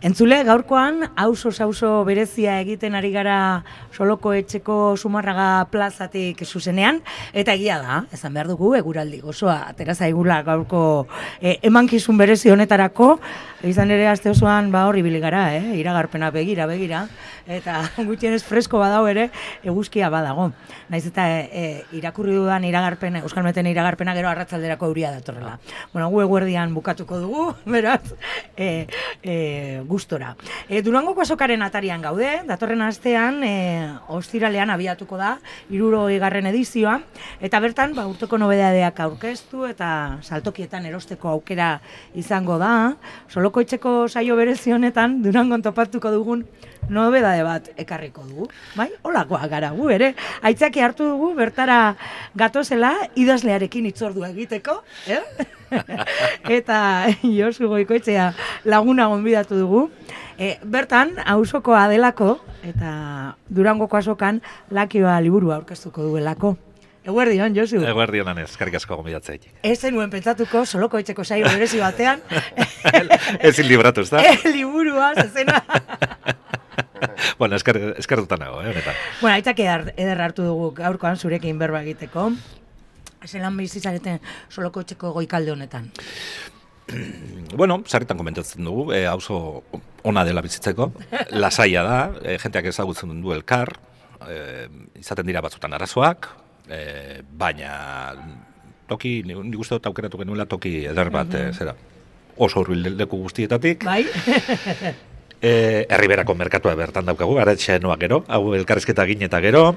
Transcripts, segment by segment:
Entzule, gaurkoan, auzo berezia egiten ari gara Soloko Etxeko Zumarraga plazatik zuzenean, eta egia da, esan behar dugu, eguraldi gozoa, atera zaigula gaurko emankizun berezi honetarako, izan ere aste osoan horri ibili gara, iragarpena begira, eta gutxienez fresko badau ere, eguzkia badago. Naiz eta irakurri dudan iragarpena, Euskalmeten iragarpena gero arratsalderako euria datorrela. Bueno, gu eguerdian bukatuko dugu, beraz, gustora. Durangoko azokaren atarian gaude, datorren astean, ostiralean abiatuko da, 60. edizioa, eta bertan, urteko nobedadeak aurkeztu eta saltokietan erosteko aukera izango da. Soloko Etxeko saio berezi honetan, Durangon topatuko dugun nobedade bat ekarriko dugu. Bai, holakoa gara gu ere. Aitzaki hartu dugu, bertara gatozela, idazlearekin hitzordua egiteko, eta Josu Goikoetxea laguna gonbidatu dugu. Bertan, auzokoa delako, eta Durangoko azokan lakioa liburua aurkeztuko duelako. Eguerdion, Josu. Eguerdion, anez, eskerrik asko gonbidatzea. Ez zenuen pentsatuko Soloko Etxeko saio berezi batean. Ezin libratu, ez da? Liburua, zezena. Bueno, eskertuta nago, honetan. Bueno, aitzak eder hartu dugu gaurkoan zurekin berba egiteko. Zelan bizizareten Soloko Etxeko goikalde honetan? Bueno, sarritan komentatzen dugu, auzo ona dela bizitzeko, lasaia da, jenteak ezagutzen du elkar, izaten dira batzutan arazoak, baina toki, nik uste dut aukeratu genuela toki eder bat, zera, oso hurbil leku guztietatik. Bai. Herriberako merkatua bertan daukagu, aretxenoa gero, hau elkarrizketa egin eta gero.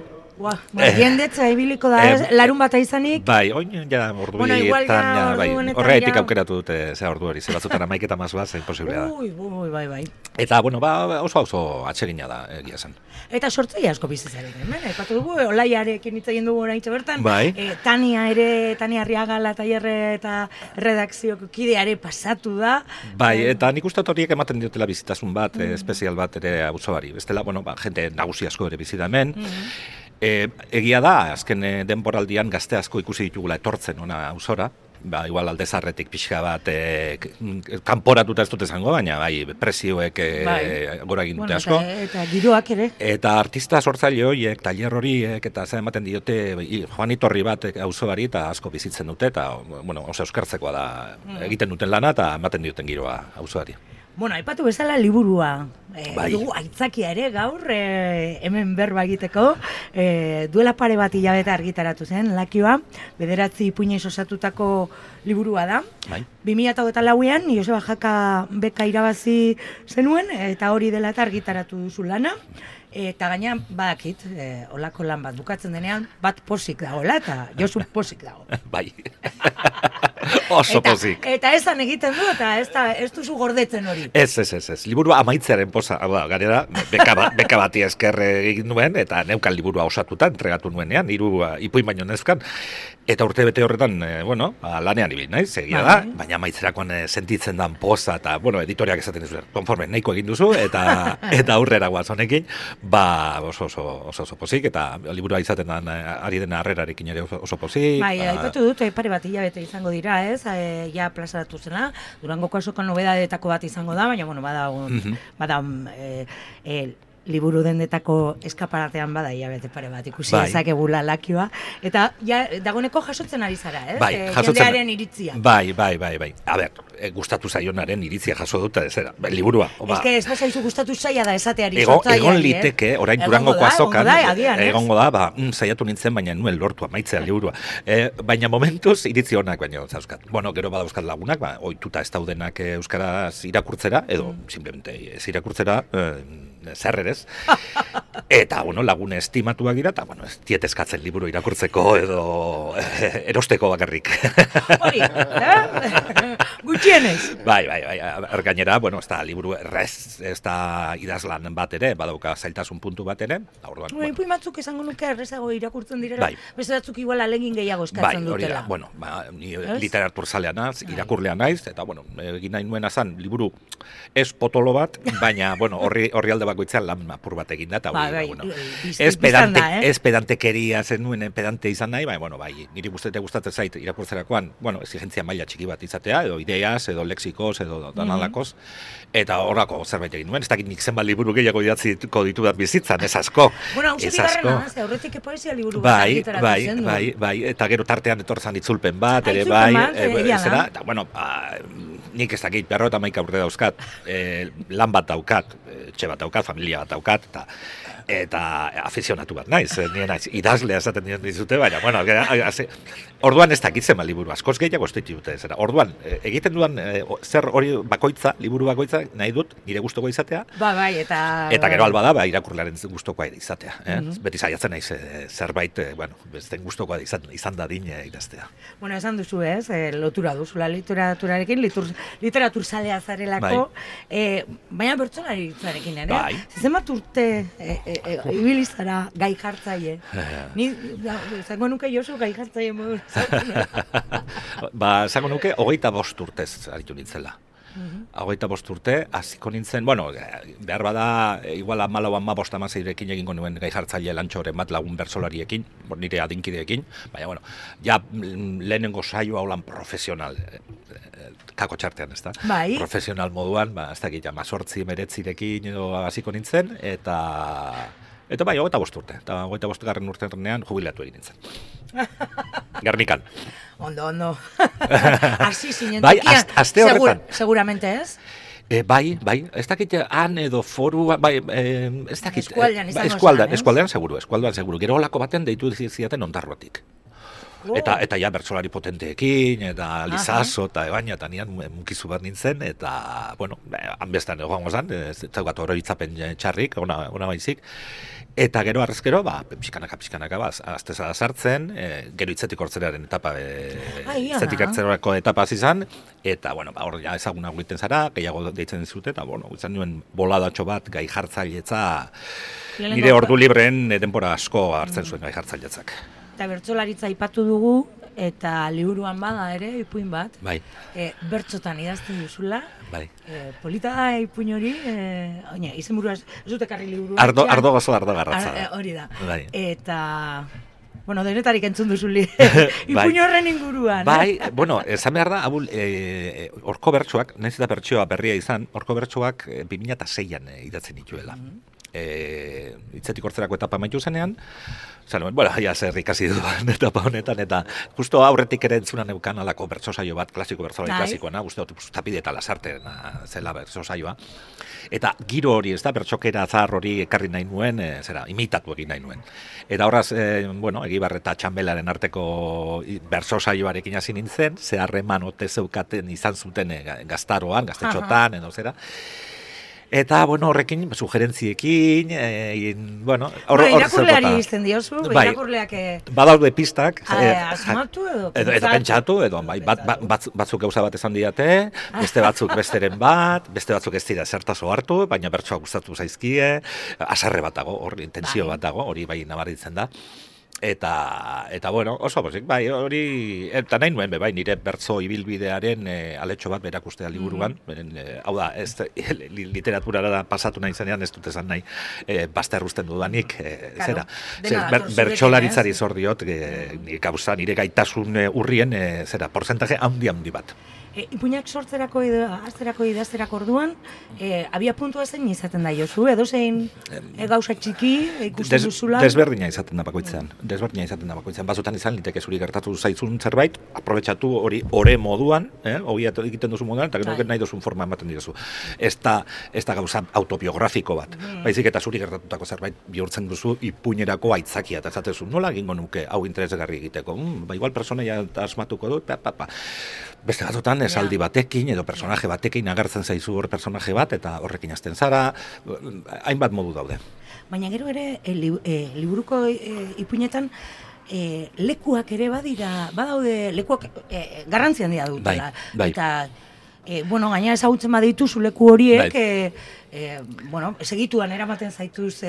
Jendetza ibiliko da, larun bata izanik. Bai, oin, ja, orduetan, horregatik aukeratu dute, ze ordu hori, ze batzutan 11 eta mazua, zein posiblea da. Bai. Eta, bueno, oso atsegina da, egia zen. Eta sortzaile asko bizizaren, aipatu dugu, Olaiarekin hitz egin dugu oraintxe bertan, bai. Tania Arriagala tailerre eta redakzioko kideare pasatu da. Bai, eta nik uste horiek ematen diotela bizitasun bat, espezial bat ere auzoari. Bestela, bueno, jente nagusi asko ere bizi da hemen. Egia da, azken denboraldian gazte asko ikusi ditugula etortzen ona auzora, igual aldezarretik pixka bat kanporatuta ez dut esango, baina prezioek gora egin dute asko. Eta giroak ere. Eta artista sortzaile horiek, tailer horiek, eta zer ematen diote joanitorri bat auzoari eta asko bizitzen dute, eta oso euskartzekoa da egiten duten lana eta ematen dioten giroa auzoari. Bueno, aipatu bezala liburua dugu aitzakia ere gaur hemen berba egiteko, duela pare bat hilabete argitaratu zen, lakioa, 9 ipuinez osatutako liburua da. 2024an Joseba Jaka beka irabazi zenuen, eta hori dela eta argitaratu duzu lana. Eta gaina, badakit, olako lan bat bukatzen denean, bat posik dagoela, eta Josu posik dago. Bai, oso posik. Eta esan egiten du, eta ez duzu gordetzen hori. Ez. Liburua amaitzearen posa, garera, beka bati esker egin nuen, eta neukan liburua osatuta, entregatu nuenean, 3 ipuin baino nezkan. Eta urte bete horretan, lanean ibil, naiz, egia da, baina amaitzerakoan sentitzen dan poza, eta, editoriak esaten dizu, konforme, nahiko egin duzu, eta aurrera guaz honekin, oso pozik, eta liburua izaten den ari dena harrerarekin ere oso pozik. Bai, aipatu dut, pare bat hilabete izango dira, ez, ja plazaratu zena, Durangoko azokan nobedadetako bat izango da, baina bada liburu dendetako eskaparatean bada hilabete pare bat ikusi ezakegula lakioa, eta dagoeneko jasotzen ari zara, ez? Jendearen iritzia. Bai. A ber, gustatu zaionaren iritzia jaso dut, liburua. Ez bazaizu gustatu zaila da esateari sortzaileari. Egon liteke, orain Durangoko azokan, egongo da, saiatu nintzen, baina nuen lortu amaitzea liburua. Baina momentuz iritzi honak baino zauzkat. Gero badauzkat lagunak, ohituta ez daudenak euskaraz irakurtzera, edo simplemente ez irakurtzera, zerrerez. Eta, lagune estimatuak dira, eta, ez tieteskatzen liburu irakurtzeko edo erosteko bakarrik. Hori, gutxienez. Bai, gainera, ez da liburu errez, ez da idazlan bat ere, badauka zailtasun puntu bat ere. Ipuin batzuk esango nuke errezago irakurtzen direla, beste batzuk igual alegin gehiago eskatzen dutela. Ni literatur zalea naz, irakurlea naiz, eta, egin nahi nuena zan, liburu ez potolo bat, baina, horri alde bakoitzean lan apur bat egin da, eta ez pedantekeria zen nuen pedante izan nahi, niri gustatzen zait irakurtzerakoan, exigentzia maila txiki bat izatea, edo ideiaz, edo lexikoz, edo danalakoz, eta horrako zerbait egin nuen, ez dakit nik zenbat liburu gehiago idatziko ditudat bizitzan, ez asko. Bueno, hau bigarrena, aurretik poesia liburu bat argitaratu zen du. Bai, eta gero tartean etorzan itzulpen bat, ere zera, eta, bueno, nik ez dakit, 51 urte dauzkat, lan bat daukat, etxe bat daukat, familia bat daukat, eta afizionatu bat naiz, idazlea esaten dizute, baina, bueno, orduan ez dakitzen liburu, askoz gehiago estitu dute, zera, orduan, egiten duan, zer hori bakoitza, liburu bakoitza, nahi dut, nire gustoko izatea, eta gero alba da, irakurlearen gustokoa izatea, beti saiatzen naiz, zerbait, bueno, besten gustokoa izan da dine idaztea. Bueno, esan duzu ez, lotura duzula literaturarekin, literatur zalea zarelako, baina bertsolaritzarekin ere, zenbat urte ibilizara gai jartzaile. Ni zango nuke Josu gai jartzaile modu. Zango nuke 25 urtez aritu nintzela. 25 urte, hasiko nintzen, bueno, behar bada, igual 14-15 egingo nuen gai jartzaile lantxoren bat lagun bertsolariekin, nire adinkideekin, baina, bueno, ja lehenengo saioa holan profesional, kako txartean, ez da? Bai. Profesional moduan, ez dakit, 18-19 edo hasiko nintzen, eta bai, 25 urte. Eta 25 urtean jubilatu egin nintzen. Gernikan. Ondo. Hasi zinen bai, aste horretan. Seguramente ez? Bai, ez dakit han edo foru, bai, ez dakit. Eskualdean izango zen, ez? Eskualdean seguru. Gero olako baten deitu ziaten Ondarrotik. Eta ja bertsolari potenteekin, eta Lizaso, eta baina, eta nian mukizu bat nintzen, eta, bueno, hanbestan egoango zen, ez zaugat oroitzapen txarrik, ona baizik, eta gero arrezkero, pixkanaka, azteza da sartzen, gero hitzetik hortzerearen etapa, hitzetik hortzerako etapa izan, eta, bueno, hor ja ezaguna egiten zara, gehiago deitzen dizute, eta, bueno, izan nuen boladatxo bat gai jartzailetza, nire ordu libreen denbora asko hartzen zuen gai jartzailetzak. Eta bertsolaritza aipatu dugu, eta liburuan bada ere, ipuin bat. Bai. Bertsotan idazten duzula. Bai. Polita da ipuin hori, izenburua ez dut ekarri liburua. Ardo gozo, ardo garratza. Hori da. Bai. Eta, bueno, denetarik entzun duzuli. Ipuin horren inguruan. Bai, bueno, esan behar da, horko bertsoak, nahiz eta bertsoa berria izan, horko bertsoak 2006an idatzen dituela. Hitzetik hortzerako etapa amaitu zenean, bueno, ja zer ikasi duan etapa honetan, eta justo aurretik ere entzunan neukan alako bertso saio bat, klasiko bertsolari klasikoena, uste dut tapide eta lasarten zela bertso saioa. Eta giro hori, ez da, bertxokera zahar hori ekarri nahi nuen, imitatu egin nahi nuen. Eta horraz, Egibar eta Txambelaren arteko bertso saioarekin hasi nintzen, ze harreman ote zeukaten izan zuten gaztaroan, gaztetxotan, edo zera. Eta, bueno, horrekin, sugerentziekin, bueno, irakurleari izten diozu, irakurleak... Badaude pistak. Asmatu edo pentsatu, edo batzuk gauza bat esan diate, beste batzuk besteren bat, beste batzuk ez dira zertazo hartu, baina bertsoa gustatu zaizkie, asarre bat dago, hori intensio bat dago, hori bai nabaritzen da. Eta bueno, oso pozik, bai, hori, eta nahi nuen, bai, nire bertso ibilbidearen aletxo bat berakustea liburuan, hau da, literaturara da pasatu nahi zenean, ez dut esan nahi, bazterruzten dudanik, zera, bertsolaritzari zor diot, nire gaitasun urrien, zera, porcentaje handi bat. Ipuinak sortzerako azterako idazterako orduan, abia puntua zein izaten da Josu, edo zein gauza txiki ikusten duzula? Desberdina izaten da bakoitzean. Batzutan izan liteke zuri gertatu zaizun zerbait, aprobetxatu hori ore moduan, hori egiten duzu moduan, eta gero nahi duzun forma ematen diozu. Ez da gauza autobiografiko bat. Baizik eta zuri gertatutako zerbait bihurtzen duzu ipuinerako aitzakia, eta esatezu, nola egingo nuke hau interesgarri egiteko? Igual personaia asmatuko dut, beste batzutan esaldi batekin edo personaje batekin agertzen zaizu hor personaje bat eta horrekin hasten zara, hainbat modu daude. Baina gero ere liburuko ipuinetan lekuak ere badaude lekuak garrantzi handia dutela. Bai. Eta bueno, gaina ezagutzen badituzu leku horiek, bueno, segituan eramaten zaituz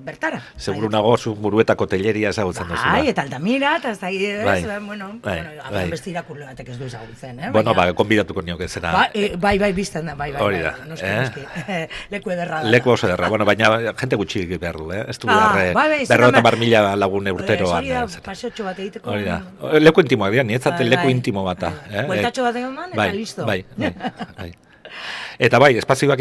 bertara. Seguru nago zu Muruetako telleria ezagutzen duzu. Bai, eta Altamira, eta ez da bueno, beste irakurle batek ez du ezagutzen, Bueno, konbidatuko nioke zera. Bai, bizten da, bai. Hori da, noski. Leku ederra da. Leku oso ederra, bueno, baina jente gutxi behar du, ez du behar 50.000 lagun urteroan. Hori da, paseotxo bat egiteko. Hori da, leku intimoak dira, nietzat leku intimo bata. Bueltatxo bat egon eta listo. Bai. Eta bai, espazioak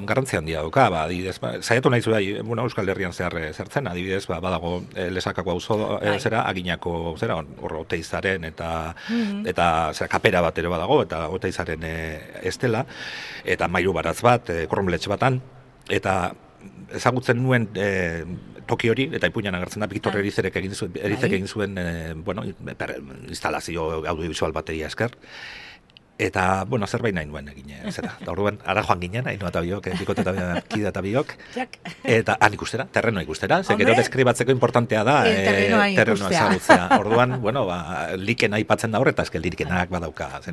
garrantzia handia dauka, adibidez, saiatu nahi zu Euskal Herrian zertzen, adibidez, badago Lesakako auzo zera, Aginako zera, Oteizaren eta kapera bat ere badago, eta Oteizaren estela, eta Mairu Baratz bat, Korronbeletxe batan, eta ezagutzen nuen toki hori, eta ipuinan agertzen da, Victor Erizek egin zuen, instalazio audiovisual bateria esker, eta, bueno, zerbait nahi nuen egin, zera. Eta orduan, ara joan ginen, hain eta biok, bikote eta kide eta biok. Eta han ikustera, terrenoa ikustera. Ze gero deskribatzeko importantea da, terrenoa ezagutzea. Orduan, bueno, likena aipatzen da horretaz, que likenak badauka.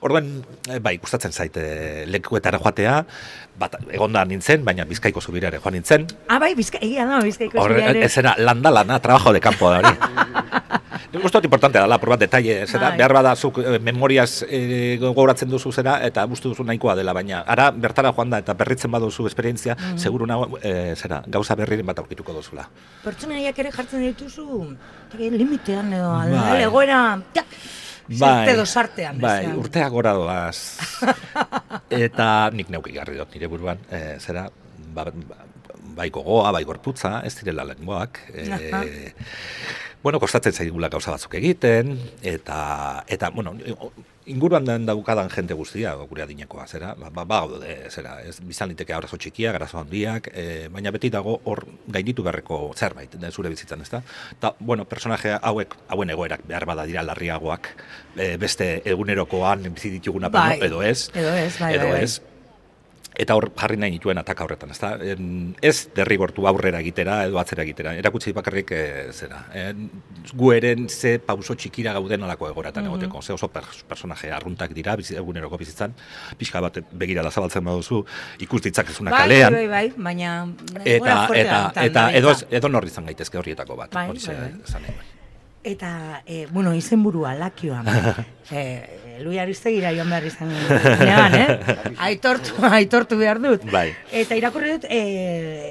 Orduan, bai, gustatzen zaite lekuetara joatea, egonda nintzen, baina Bizkaiko zubirare joan nintzen. Bai, egia da, Bizkaiko zubirare. Ez era, lana, trabajo de campo da hori. Gustot importantea dela, probat detalle, zera, behar bada zuk memoriaz gogoratzen duzu zera, eta uste duzu nahikoa dela, baina ara bertara joan da, eta berritzen baduzu esperientzia, seguru nago, zera, gauza berriren bat aurkituko duzula. Pertsonaiak ere jartzen dituzu, limitean edo, egoera, zerte dosartean. Bai, urteak gora doaz. Eta nik neuk igarri dut nire buruan, zera, bai gogoa, bai gorputza, ez direla lenguak, bueno, kostatzen zaigula gauza batzuk egiten, eta bueno, inguruan daukadan jente guztia, gure adinekoa, zera, zera, ez bizan liteke arazo txikiak, arazo handiak, baina beti dago hor gainditu beharreko zerbait, zure bizitzan, ezta? Eta, bueno, personaje hauen egoerak behar bada dira larriagoak, beste egunerokoan bizi dituguna, edo ez. Eta hor jarri nahi nituen ataka horretan, ezta? Ez derrigortu aurrera egitera edo atzera egitera. Erakutsi bakarrik zera. Gu eren ze pauso txikira gauden olako egoratan egoteko. Ze oso personaje arruntak dira, eguneroko bizitzan. Pixka bat begirada zabaltzen baduzu, ikus ditzakezuna kalean. Bai, baina... Eta edo norri izan gaitezke horrietako bat. Eta, bueno, izenburua, Lakioan. Lui Aristegira joan behar izan nean, aitortu behar dut. Bai. Eta irakurri dut,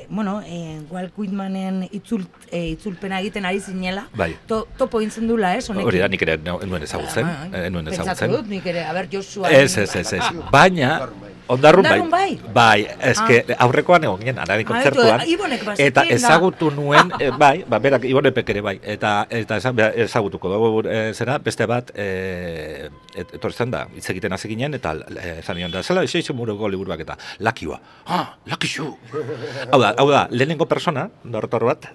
bueno, Walt Whitmanen itzulpena egiten ari zinela. Bai. Topo intzen dula, honekin. Hori da, nik ere nuen ezagutzen. Pentsatu dut, nik ere, Joshua. Ez. Baina... Ondarrun bai. Bai, eske aurrekoan egon ginen, Arari kontzertuan. Eta ezagutu nuen, berak Ibonepek ere bai. Eta ezagutuko dugu zera, beste bat, etortzen da, hitz egiten hasi ginen, eta esan nion da, zela, eixo muruko liburuak eta, Lakioa. Lakixu! Hau da, lehenengo persona, dortor bat,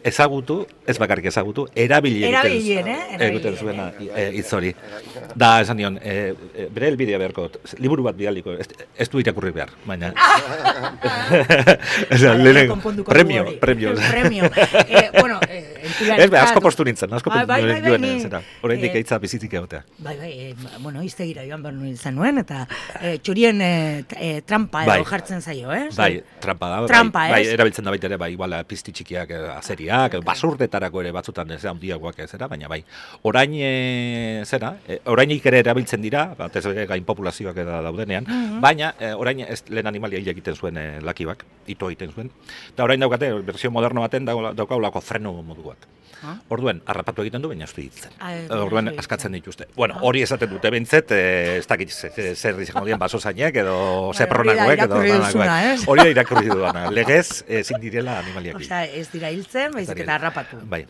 ezagutu, ez bakarrik ezagutu, erabili egiten zuena hitz hori. Da, esan nion, bere helbidea beharko, liburu bat bidaliko, ez du irakurri behar, baina... Premio. Bueno, asko postu nintzen, horrendik eitza bizitik egotea. Bueno, iztegira joan behar nintzen nuen, eta txurien trampa edo jartzen zaio, ez? Bai, trampa da, bai, erabiltzen da baita ere, bai, iguala pizti txikiak, azeriak, basurdetarako ere batzutan ez handiagoak zera, baina bai, orainik ere erabiltzen dira, bat ez gain populazioak daudenean, baina orain lehen animalia hil egiten zuen Lakioak, ito egiten zuen. Eta orain daukate, versio moderno baten daukaulako freno moduak. Orduan, harrapatu egiten du, baina ez du hitzen. Orduan, askatzen dituzte. Bueno, hori esaten dute bintzet, ez dakit zer izango dien baso zainek, edo zepronakoek, edo hori da irakurri duana. Legez, ezin direla animaliak. Osea, ez dira hiltzen, baizik eta harrapatu. Bai.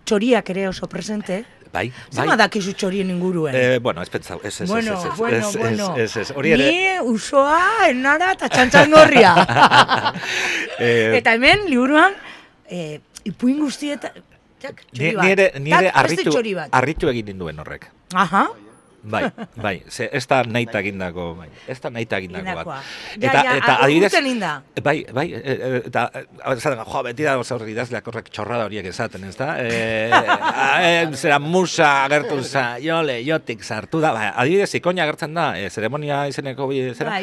Txoriak ere oso presente. Bai. Zama dakizu txorien inguruen? Bueno, ez pentsau, ez. Bueno. Hori ere... Ni usoa, enara eta txantxangorria. Eta hemen, liburuan, ipuin guztietan... Nire harritu egin ninduen horrek. Aha. Bai, ez da nahita egindako bat. Eta adibidez... Bai, eta beti da idazleak horrek txorrada horiek esaten, ez da? Zera musa agertu jotik sartu da. Adibidez, ikoina agertzen da, zeremonia izeneko zera.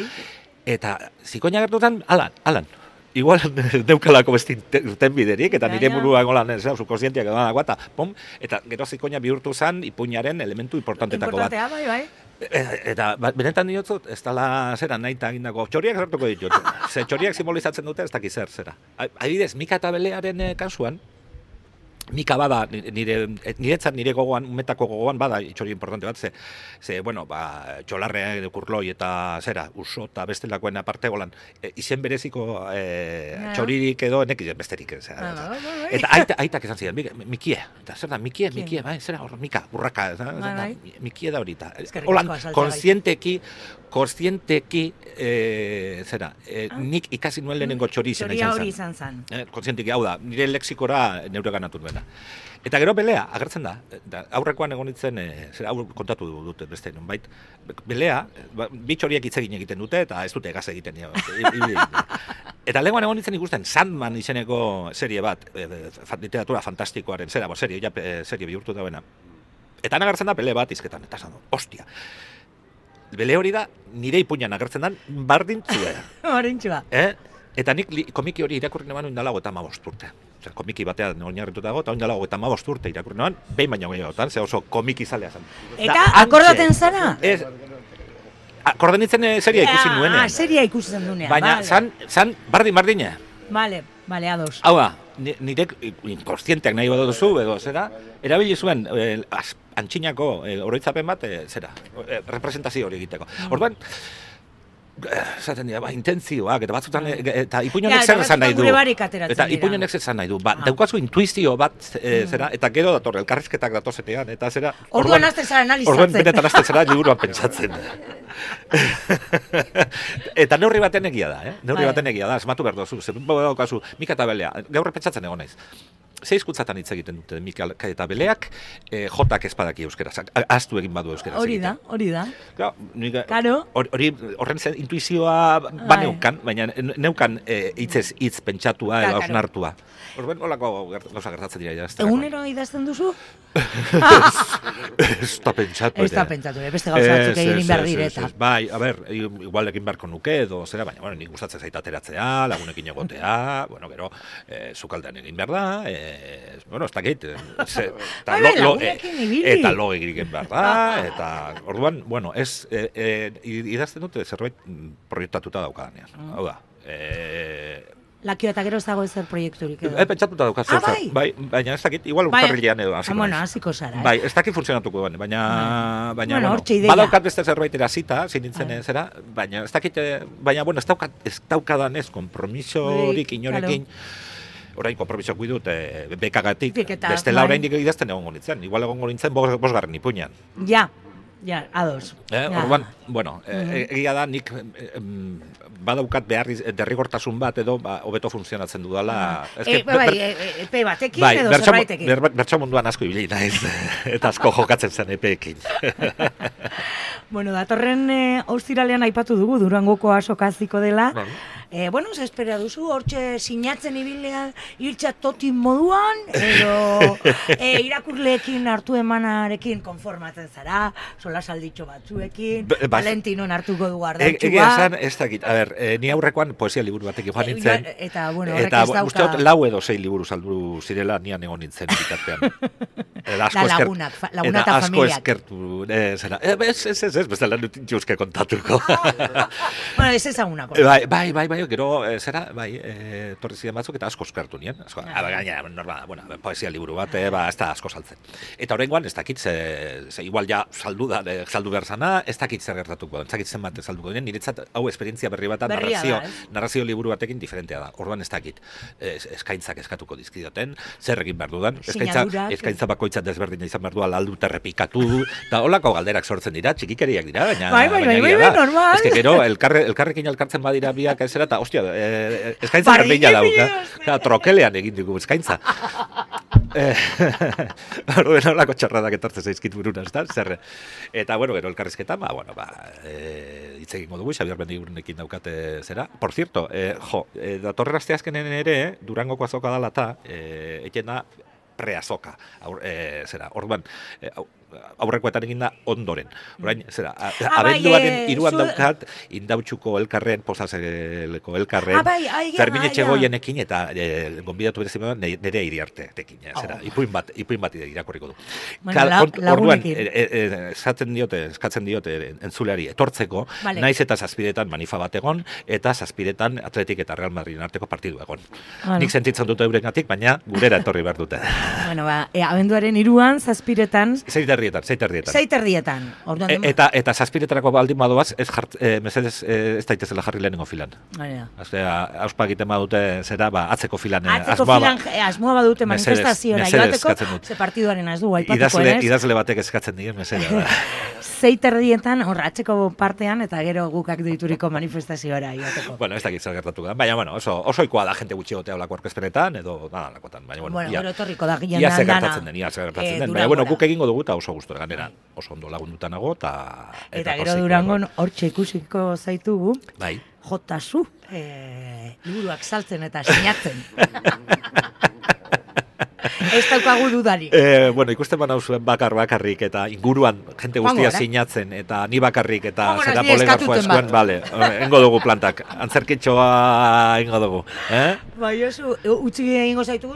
Eta zikoina gertutan, alan. Igual neukalako besti tenbiderik, eta nire buruan golan, zu konsientiak edo dagoa, eta pom, eta gero zikoina bihurtu zen ipuinaren elementu importantetako bat. Importantea, bai. Eta benetan diotzut, ez dala zera nahi eta egindako, txoriak zertuko ditut. Ze txoriak simbolizatzen dute, ez dakiz zera. Adibidez, Mika eta Belearen kasuan, Mika bada, niretzat nire gogoan, umetako gogoan bada, itxori importante bat, ze bueno, txolarrea edo kurloi eta zera, uso eta bestelakoen aparte golan, izen bereziko txoririk edo enek izen besterik. Eta aitak esan ziren, Mikie, eta zer da, Mikie, bai, zera, hor, Mika, burraka, Mikie da horita. Holan, konstienteki, zera, nik ikasi nuen lehenengo txori izena izan zen. Hori izan zen. Konstienteki, hau da, nire lexikora neure ganatu duena. Eta gero Belea, agertzen da, aurrekoan egon nintzen, hau kontatu dute beste, nonbait, Belea, bi txoriek hitz egiten dute, eta ez dute egaz egiten. Eta lehenkoan egon nintzen ikusten, Sandman izeneko serie bat, literatura fantastikoaren, serie bihurtu dauena. Eta han agertzen da Bele bat izketan, eta esan du, ostia. Bele hori da, nire ipuinan agertzen da, bardintzua. Bardintzua. Eta nik komiki hori irakurri neban oindalago eta 15 urte. Osea, komiki batean oinarrituta dago, eta oindalago eta 15 urte irakurri neban, behin baino gehiagotan, ze oso komiki zalea zen. Eta akordaten zara? Akordenitzen seria ikusi nuenean. Seria ikusi zen dunean. Baina, zan bardina. Vale, ados. Hau da, nirek inkonstienteak nahi baduzu, edo zera, erabili zuen antxinako oroitzapen bat, zera, representazio hori egiteko. Orduan, zaten dira, intentzioak, eta batzutan, eta ipuñonek zer esan nahi du. Eta ipuñonek zer esan nahi du. Daukazu intuizio bat, zera, eta gero dator, elkarrizketak datozetean, eta zera... Orduan azten zara analizatzen. Orduan benetan azten zara liburuan pentsatzen. Eta neurri baten egia da, Neurri baten egia da, esmatu behar dozu. Zer daukazu, Mika eta Belea, gaur pentsatzen egon naiz. 6 hizkuntzatan hitz egiten dute Mika eta Beleak, jotak espadaki euskeraz, ahaztu egin badu euskeraz. Hori da. Claro. Horren intuizioa baneukan, baina neukan hitz pentsatua edo hausnartua. Orduan, holako gauza gertatzen dira. Egunero idazten duzu? Ez da pentsatu. Ez da pentsatu, beste gauza batzuk egin behar direta. Bai, a ber, igual egin beharko nuke edo zera, baina nik gustatzen zait ateratzea, lagunekin egotea, bueno, sukaldean egin behar da, ez dakit, eta lo egin behar da, eta orduan, bueno, idazten dute zerbait proiektatuta daukadanean, hau da. Lakio eta gero ez dago ezer proiekturik edo. Pentsatuta daukaz zeuzer. Bai, baina ez dakit, igual urtarrilean edo hasiko naiz. Hasiko zara. Bai, ez dakit funtzionatuko duen, baina hortxe ideia. Badaukat beste zerbait erasita, zinintzen zera, baina ez dakit, baina, bueno, ez daukadan ez, kompromisorik inorekin. Orain konpromisoak guidut bekagatik, bestela oraindik idazten egongo nintzen. Igual egongo nintzen 5. ipuinan. Ja, ados. Orduan, bueno, egia da nik badaukat derrigortasun bat edo hobeto funtzionatzen dudala. Epe batekin edo zerbaitekin. Bertso munduan asko ibili naiz, eta asko jokatzen zen epeekin. Bueno, datorren ostiralean aipatu dugu, Durangoko asokaziko dela. Bueno, ze espera duzu, hortxe sinatzen ibilea hiltza totin moduan, edo irakurleekin hartu emanarekin konformatzen zara, solasalditxo batzuekin, Valentinon hartuko du ardatxua. Egia esan, ez dakit, a ber, ni aurrekoan poesia liburu batekin joan nintzen. Eta, bueno, horrek ez dauka. Eta, uste 4 edo 6 liburu saldu zirela, nian egon nintzen bitartean. Laguna eta familiak. Asko eskertu, zera. Ez, bestela nutintxuzke kontatuko. Bueno, ez ezagunako. Bai, gero, zera, torri ziren batzuk eta asko eskertu nien. Gaina, normal, bueno, poesia liburu bat, ez da asko saltzen. Eta horrengoan, ez dakit, ze igual ja saldu behar zana, ez dakit zer gertatuko, ez dakit zenbat salduko dinen, niretzat hau esperientzia berri bat, narrazio liburu batekin diferentea da. Orduan ez dakit, eskaintzak eskatuko dizkidaten, zer egin behar dudan, eskaintza bakoitzat desberdina izan behar du, aldu terrepikatu, eta holako galderak sortzen dira, txikikeriak dira, baina normal. Ez que gero, elkarrekin elkartzen badira biak ezera, eta hostia, eskaintza berdina dauka, trokelean egin dugu eskaintza. Orduan holako txarradak etortzen zaizkit buruna, ez da, zer. Eta, bueno, gero elkarrizketa, hitz egingo dugu, Xabier Mendigurenekin daukate zera. Por cierto, datorren asteazkenen ere, Durangoko azoka dela eta, eken da preazoka, zera. Orduan, aurrekoetan egin da ondoren. Orain, zera, bai, abenduaren 3 daukat, Indautxuko elkarren, Posazeleko elkarren, Fermin Etxegoienekin eta gonbidatu berezimena nire Iriarteekin, zera, ipuin bat irakurriko du. Orduan, eskatzen diote entzuleari etortzeko, naiz eta zazpiretan manifa bat egon, eta zazpiretan Atletik eta Real Madridin arteko partidu egon. Nik sentitzen dute eurengatik, baina gurera etorri behar dute. Bueno, abenduaren 3an, zazpiretan... Zeiterrietan. Eta zazpiretarako baldin badoaz, mesedez ez daitezela jarri lehenengo filan. Auspa egiten badute, zera, atzeko filan. Asmoa badute manifestaziora joateko, ze partiduaren ez du, aipatuko ez. Idazle batek eskatzen dien, mesedez. Zeiterrietan, atzeko partean, eta gero gukak dituriko manifestaziora joateko. Bueno, ez dakit zer gertatu da, baina, oso ikoa da jente gutxi gotea olako orkespenetan, edo nada lakotan. Baina, gero etorriko da ia zer gertatzen den. Baina, guk egingo dugu eta oso gustora ganera. Oso ondo lagunduta nago, eta gero Durangon hortxe ikusiko zaitugu, jotazu, liburuak saltzen eta sinatzen. Ez daukagu dudarik. Bueno, ikusten banauzuen bakarrik eta inguruan jente guztia sinatzen eta ni bakarrik eta zera poligrafoa eskuen, bale, engo dugu plantak, antzerkitxoa engo dugu. Bai, utzi egingo zaitugu,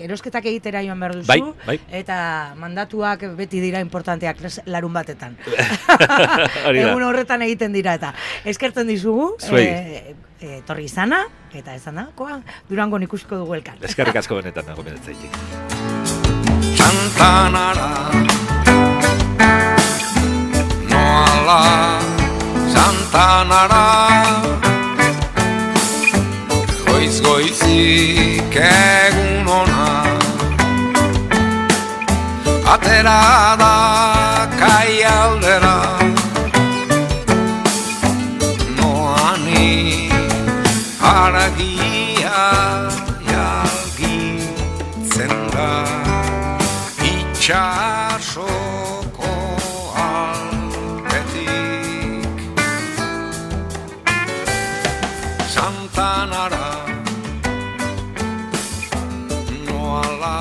erosketak egitera joan behar duzu, eta mandatuak beti dira importanteak larun batetan. Egun horretan egiten dira eta eskertzen dizugu, torri izana, eta ezanakoa, Durangon ikusiko dugu elkar. Eskerrik asko benetan nago benetzaitik. Santanara, noala, Santanara, goiz-goizik egun ona, atera da kaialdera, noani haragia jalgitzen da, itxasoko alpetik. Santanara, noala,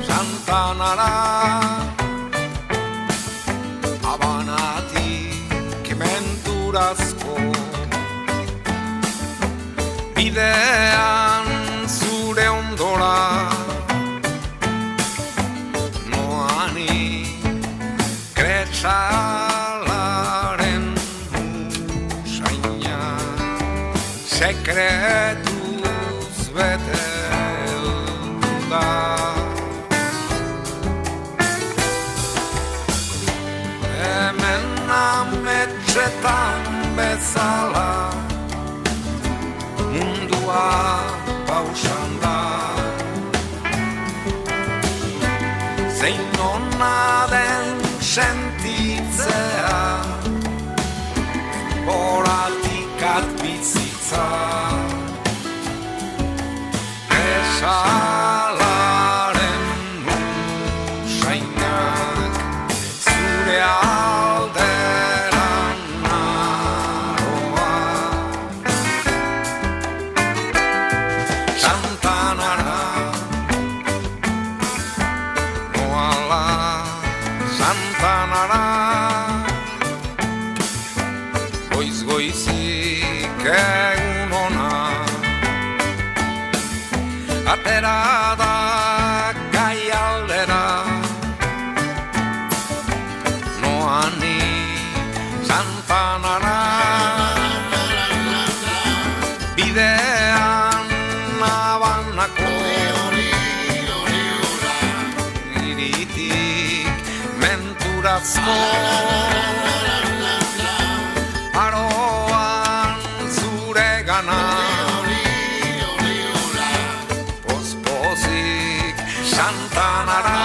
Santanara, Habanatik menturazko bidean zure ondora, noani kretsalaren usaina, sekretuz bete da. Hemen ametxetan bezala mundua pausan da, zein ona den sentitzea, horatikat bizitza, esalaren usainak zure alderan naroa. Santanara, noala, Santanara, goiz-goizik egun ona, atera da kaialdera, noani Santanara, bidean Habanako iritik menturazko aroan zure gana, pospozik Santanara,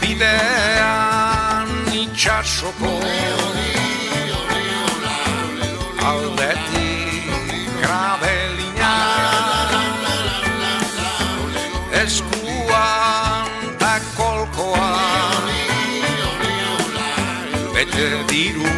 bidean itxasoko aldetik grabelina, eskuan ta kolkoa, bete diru